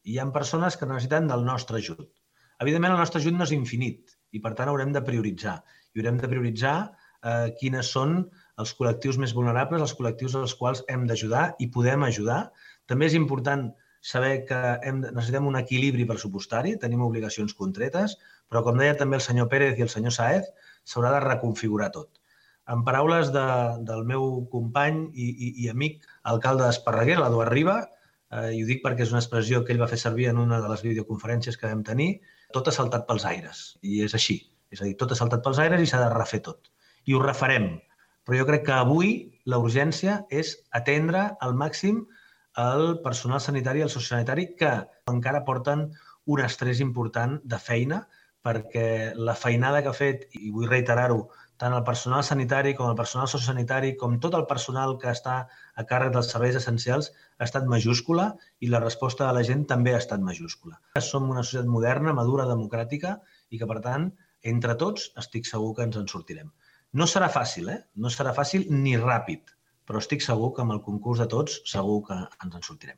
i hi ha persones que necessiten del nostre ajut. Evidentment, el nostre ajut no és infinit i, per tant, haurem de prioritzar. I haurem de prioritzar quines són els col·lectius més vulnerables, els col·lectius als quals hem d'ajudar i podem ajudar. També és important saber que necessitem un equilibri pressupostari, tenim obligacions contretes, però, com deia també el senyor Pérez i el senyor Sáez, s'haurà de reconfigurar tot. En paraules del meu company i amic alcalde d'Esparreguera, l'Eduard Riba, i ho dic perquè és una expressió que ell va fer servir en una de les videoconferències que vam tenir, tot ha saltat pels aires, i és així. És a dir, tot ha saltat pels aires i s'ha de refer tot. I ho refarem. Però jo crec que avui la urgència és atendre al màxim el personal sanitari i el sociosanitari que encara porten un estrès important de feina, perquè la feinada que ha fet, i vull reiterar-ho, tant el personal sanitari com el personal sociosanitari, com tot el personal que està a càrrec dels serveis essencials, ha estat majúscula i la resposta de la gent també ha estat majúscula. Som una societat moderna, madura, democràtica i que, per tant, entre tots estic segur que ens en sortirem. No serà fàcil, No serà fàcil ni ràpid, però estic segur que amb el concurs de tots segur que ens en sortirem.